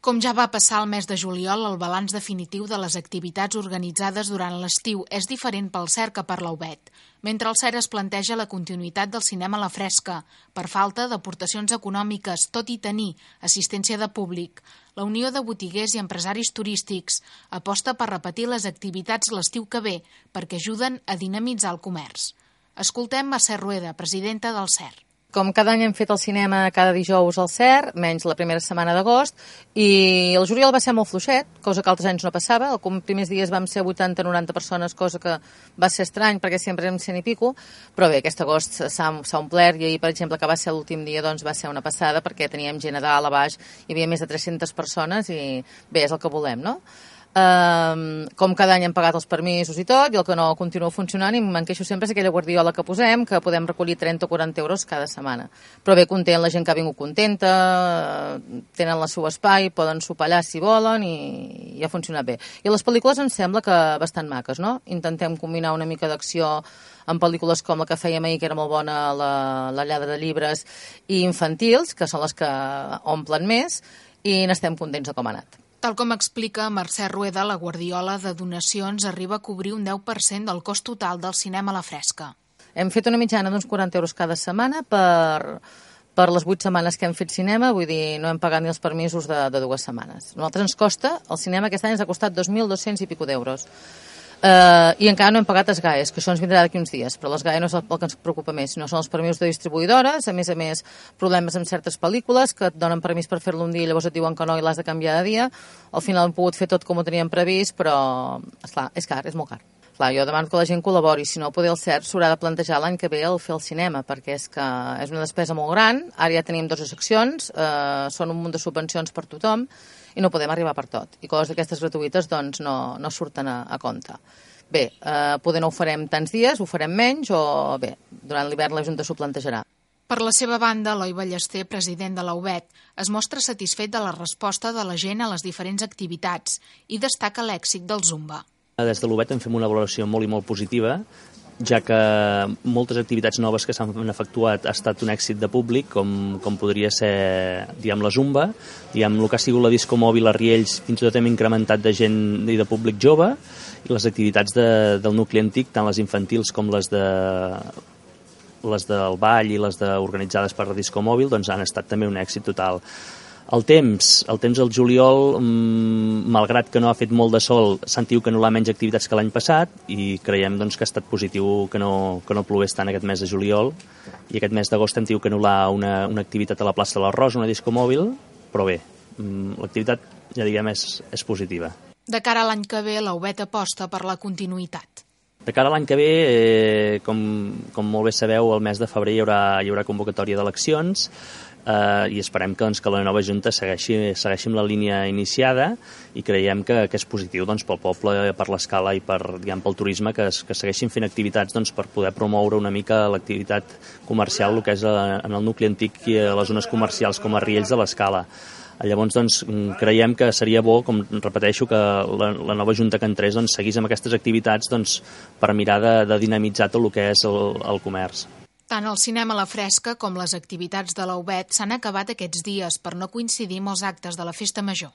Com ja va passar el mes de juliol, el balanç definitiu de les activitats organitzades durant l'estiu és diferent pel CER que per l'UBET. Mentre el CER es planteja la continuïtat del cinema a la fresca, per falta d'aportacions econòmiques, tot i tenir assistència de públic, la Unió de Botiguers i Empresaris Turístics aposta per repetir les activitats l'estiu que ve perquè ajuden a dinamitzar el comerç. Escoltem Mercè Rueda, presidenta del CER. Com cada any hem fet el cinema cada dijous al CER, menys la primera setmana d'agost, i el juliol va ser molt fluixet, cosa que altres anys no passava. Els primers dies vam ser 80-90 persones, cosa que va ser estrany perquè sempre érem 100 i pico, però bé, aquest agost s'ha omplert i ahir, per exemple, que va ser l'últim dia, doncs va ser una passada perquè teníem gent a dalt, a baix, hi havia més de 300 persones i bé, és el que volem, no? Com cada any hem pagat els permisos i tot, i el que no continua funcionant, i me'n queixo sempre, és aquella guardiola que posem, que podem recollir 30 o 40 euros cada setmana. Però bé, content, la gent que ha vingut contenta, tenen el seu espai, poden sopar allà si volen, i ha funcionat bé. I les pel·lícules em sembla que bastant maques, no? Intentem combinar una mica d'acció amb pel·lícules com la que fèiem ahir, que era molt bona, la lladra de llibres, i infantils, que són les que omplen més, i n'estem contents de com ha anat. Tal com explica Mercè Rueda, la guardiola de donacions arriba a cobrir un 10% del cost total del cinema a la fresca. Hem fet una mitjana d'uns 40 euros cada setmana per les 8 setmanes que hem fet cinema, vull dir, no hem pagat ni els permisos de 2 setmanes. A nosaltres ens costa, el cinema aquest any ens ha costat 2.200 i pico d'euros. I encara no hem pagat els GAEs, que això ens vindrà d'aquí uns dies, però les GAE no és el que ens preocupa més, sinó són els permisos de distribuïdores, a més, problemes amb certes pel·lícules que et donen permís per fer-lo un dia i llavors et diuen que no i l'has de canviar de dia. Al final hem pogut fer tot com ho teníem previst, però, esclar, és car, és molt car. Clar, jo demano que la gent col·labori, si no, poder el CER s'haurà de plantejar l'any que ve el fer el cinema, perquè és que és una despesa molt gran, ara ja tenim 2 seccions, són un munt de subvencions per tothom, i no podem arribar per tot. I coses d'aquestes gratuïtes doncs no surten a compte. Bé, poder no ho farem tants dies, ho farem menys, o bé, durant l'hivern la Junta s'ho plantejarà. Per la seva banda, Eloi Ballester, president de la UBET, es mostra satisfet de la resposta de la gent a les diferents activitats i destaca l'èxit del Zumba. Des de l'UBET en fem una valoració molt i molt positiva, ja que moltes activitats noves que s'han efectuat ha estat un èxit de públic, com podria ser, diguem, la Zumba, diguem, el que ha sigut la disco mòbil a Riells, fins i tot hem incrementat de gent i de públic jove, i les activitats del nucli antic, tant les infantils com les del ball i les organitzades per la disco mòbil, doncs han estat també un èxit total. El temps al juliol, malgrat que no ha fet molt de sol, s'han tingut que anul·lar menys activitats que l'any passat i creiem doncs, que ha estat positiu que no plogués tant aquest mes de juliol, i aquest mes d'agost hem tingut que anul·lar una activitat a la plaça de l'Arròs, una disco mòbil, però bé, l'activitat, ja diguem, és positiva. De cara a l'any que ve, la UBET aposta per la continuïtat. De cara a l'any que ve, com molt bé sabeu, el mes de febrer hi haurà convocatòria d'eleccions, i esperem que la nova Junta segueixi amb la línia iniciada i creiem que és positiu pel poble, per l'escala i pel turisme, que segueixin fent activitats per poder promoure una mica l'activitat comercial, el que és en el nucli antic i a les zones comercials com a Riells de l'Escala. Llavors creiem que seria bo, com repeteixo, que la nova Junta que entrés seguís amb aquestes activitats per mirar de dinamitzar tot el que és el comerç. Tant el cinema a la fresca com les activitats de la UBET s'han acabat aquests dies per no coincidir amb els actes de la Festa Major.